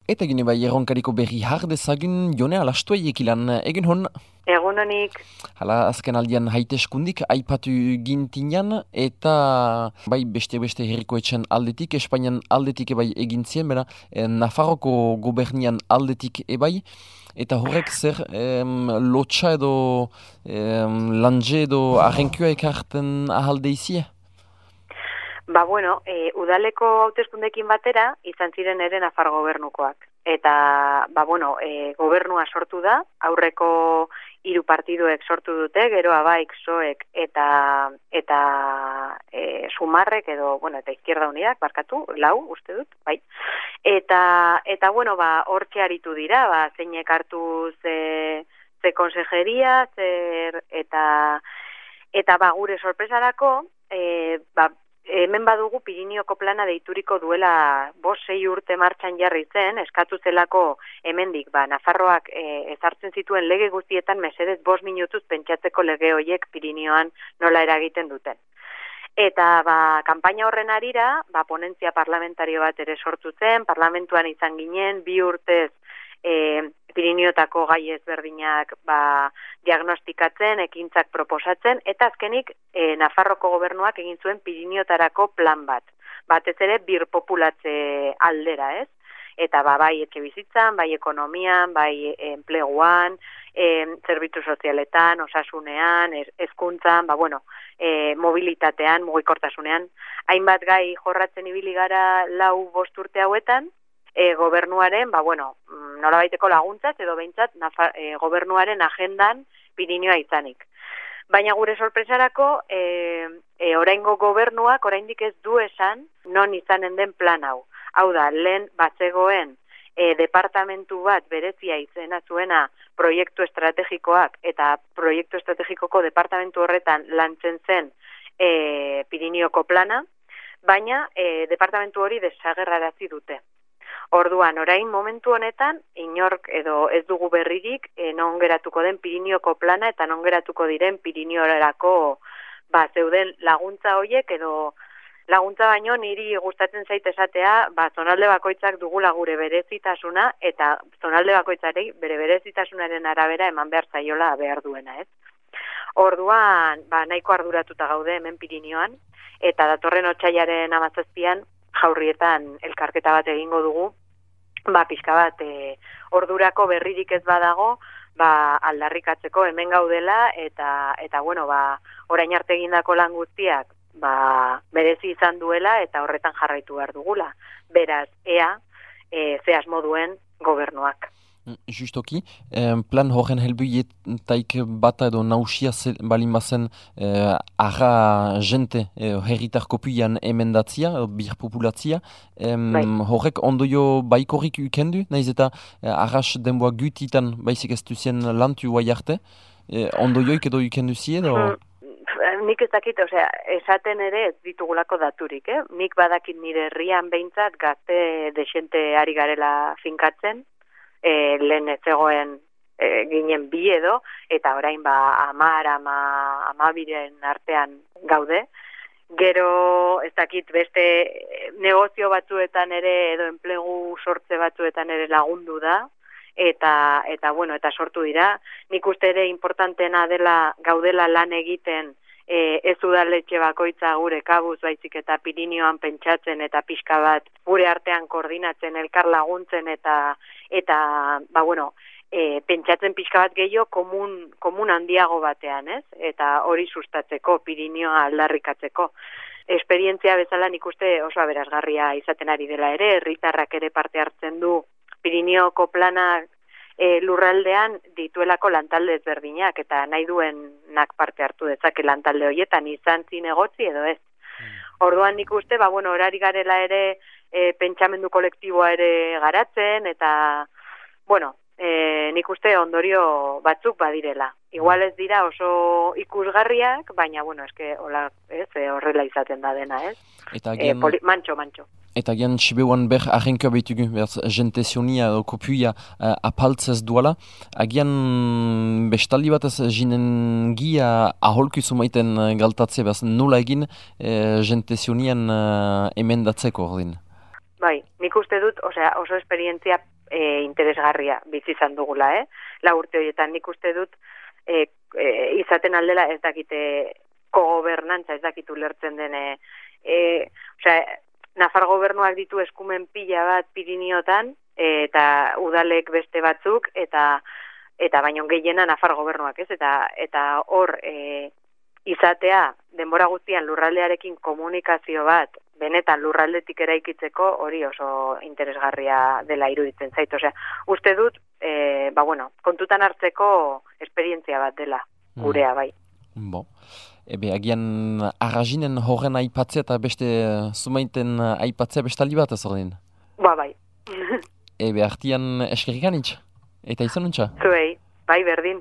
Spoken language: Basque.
Eta gine bai erronkariko berri dezagun Jone Alastuaiek ilan egin hon. Egun honik. Hala azken aldian haiteskundik aipatu gintinan eta bai beste herrikoetxen aldetik, Espainian aldetik ebai egintzien, bera Nafarroko gobernian aldetik ebai. Eta horrek zer lotxa edo lanje edo arrenkua ekarten ahalde izie? Udaleko hauteskundekin batera izan ziren ere Nafar gobernukoak. Eta, gobernua sortu da, aurreko 3 partiduek sortu dute, gero Abaik, Soek eta Sumarrek edo, eta Izquierda Unidak, barkatu, 4, uste dut, bai. Eta hortxe aritu dira, zeinek hartu ze konsejeria, eta gure sorpresarako, hemen badugu Pirineoko plana deituriko duela 5-6 urte martxan jarri zen, eskatu zelako hemendik, Nafarroak ezartzen zituen lege guztietan mesedez 5 minutuz pentsatzeko lege hoiek Pirineoan nola eragiten duten. Eta kanpaina horren arira, ponentzia parlamentario bat ere sortu zen, parlamentuan izan ginen, 2 urtez Pirineotako gai ezberdinak diagnostikatzen, ekintzak proposatzen, eta azkenik Nafarroko gobernuak egin zuen Pirineotarako plan bat. Batez ere birpopulatze aldera, ez? Eta bai etxe bizitzan, bai ekonomian, bai enpleguan, zerbitzu sozialetan, osasunean, hezkuntzan, mobilitatean, mugikortasunean. Hainbat gai jorratzen ibili gara 4-5 urte hauetan, gobernuaren, nolabaiteko laguntzaz edo behintzat gobernuaren agendan Pirineoa izanik. Baina gure sorpresarako, oraingo gobernuak oraindik ez du esan non izanen den plan hau. Hau da, lehen batzegoen departamentu bat berezia izena zuena proiektu estrategikoak eta proiektu estrategikoko departamentu horretan lantzen zen Pirineoko plana, baina departamentu hori desagerrarazi dute. Orduan, orain momentu honetan, inork edo ez dugu berririk non geratuko den Pirineoko plana eta non geratuko diren Pirineorako zeuden laguntza hoiek edo laguntza baino niri gustatzen zait esatea, zonalde bakoitzak dugula gure berezitasuna eta zonalde bakoitzari bere berezitasunaren arabera eman behar zaiola behar duena, ez? Orduan, nahiko arduratuta gaude hemen Pirineoan eta datorren otsailaren 17an Jaurrietan elkarketa bat egingo dugu, pixka bat ordurako berririk ez badago, aldarrikatzeko hemen gaudela eta orain arte egindako lan guztiak berezi izan duela eta horretan jarraitu behar dugula. Beraz, ze asmo duen gobernuak. Justoki, plan horren helbuietaik bata edo nausia balin bazen arra jente herritar kopuian emendatzia, birpopulatzia, horrek ondoio baikorrik ukendu, nahiz eta arras denboa gutitan baizik ez duzien lantu guai arte, ondoioik edo ukendu zie edo? Nik ez dakit, esaten ere ez ditugulako daturik, Nik badakit nire herrian behintzat gazte desente ari garela finkatzen, lehen ez zegoen ginen 2 edo, eta orain 10-12 artean gaude. Gero, ez dakit, beste negozio batzuetan ere, edo enplegu sortze batzuetan ere lagundu da, eta sortu dira. Nik uste ere importantena dela gaudela lan egiten, ez udaletxe bakoitza gure kabuz baizik eta Pirineoan pentsatzen eta pixka bat gure artean koordinatzen, elkar laguntzen eta pentsatzen pixka bat gehiago komun handiago batean, ez? Eta hori sustatzeko, Pirineoa aldarrikatzeko. Esperientzia bezala nik uste oso aberasgarria izaten ari dela ere, herritarrak ere parte hartzen du Pirineoko planak lurraldean dituelako lantalde ezberdinak eta nahi duenak parte hartu dezake lantalde horietan izan zinegotzi edo ez. Orduan nik uste, horari garela ere pentsamendu kolektiboa ere garatzen eta, nik uste ondorio batzuk badirela. Igual ez dira oso ikusgarriak, baina, horrela izaten da dena, ez? Mantxo. Eta gian Sibeuan agenkoa behitugu, jente zionia kopuia apaltzez duala. Agian bestaldi bat ez jinen gia aholku zumaiten galtatze, nola egin jente zionian emendatzeko ordin? Bai, nik uste dut, oso esperientzia interesgarria bizi izan dugula, 4 urte horietan nik uste dut izaten aldela ez dakite kogobernantza, ez dakitu lertzen den, Nafar gobernuak ditu eskumen pila bat Piriniotan, eta udalek beste batzuk, eta baino gehiena Nafar gobernuak, ez? Eta hor izatea denbora guztian lurraldearekin komunikazio bat benetan lurraldetik eraikitzeko hori oso interesgarria dela iruditzen zait. Osea, uste dut, kontutan hartzeko esperientzia bat dela gurea bai. Agian arrazinen horren aipatzea eta beste zumaiten aipatzea bestaldi bat ez ordin? Bai. Artian eskerrik anitz, eta izan nuntza? Zuei, bai berdin.